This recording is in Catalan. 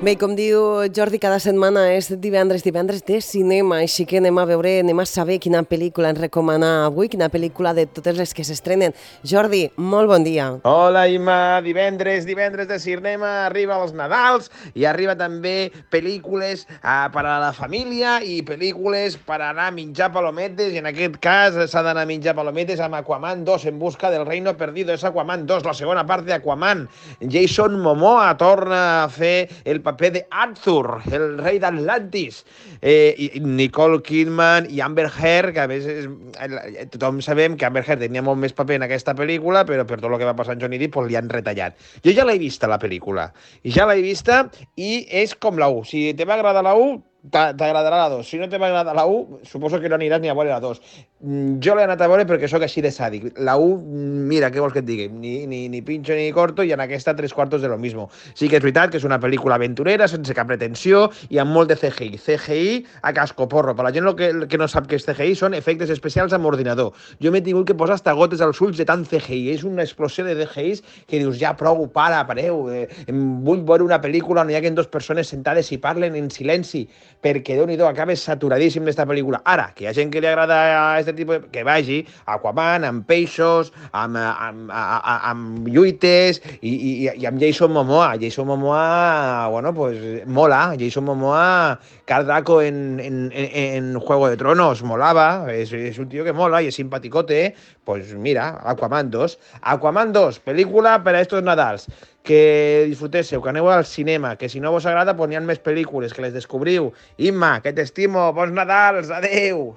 Bé, com diu Jordi, cada setmana és divendres de cinema, així que anem a saber quina pel·lícula ens recomana avui, quina pel·lícula de totes les que s'estrenen. Jordi, molt bon dia. Hola, Imma, divendres de cinema, arriba els Nadals i arriba també pel·lícules per a la família i pel·lícules per anar a menjar palometes, i en aquest cas s'ha d'anar a menjar palometes amb Aquaman 2 en busca del reino perdido. És Aquaman 2, la segona part d'Aquaman. Jason Momoa torna a fer el paper de Arthur, el rei d'Atlantis. I Nicole Kidman i Amber Heard, que a més tothom sabem que Amber Heard tenia molt més paper en aquesta pel·lícula, però per tot el que va passar amb Johnny Depp li han retallat. Jo ja l'he vista, la pel·lícula, i és com la 1. Si te va agradar la 1, t'agradarà la 2. Si no te va agradar la 1, suposo que no aniràs ni a veure la 2. Jo l'he anat a veure perquè sóc així de sàdic. La 1, mira, què vols que et digui? Ni pincho ni corto, i en aquesta 3/4 de lo mismo. Sí que és veritat que és una pel·lícula aventurera, sense cap pretensió, i amb molt de CGI. CGI a cascoporro. Per la gent que no sap què és CGI, són efectes especials amb ordinador. Jo m'he tingut que posar hasta gotes als ulls de tant CGI. És una explosió de CGIs que dius, ja prou, pareu. Vull veure una pel·lícula on hi haguen dues persones sentades i parlen en silenci, perquè Déu-n'hi-do, acabes saturadíssim d'esta pel·lícula. Ara, que hi ha gent que li agrada aquest tipus, que vagi a Aquaman, amb peixos, amb lluites, i amb Jason Momoa. Jason Momoa, bueno, pues mola. Jason Momoa, Khal Draco en Juego de Tronos, molava. És un tio que mola i és simpaticote. Pues mira, Aquaman 2. Aquaman 2, pel·lícula per a estos Nadals. Que disfrutéssiu, que aneu al cinema, que si no vos agrada, pues n'hi ha més pel·lícules, que les descobriu. Imma, que t'estimo, bons Nadals, adeu!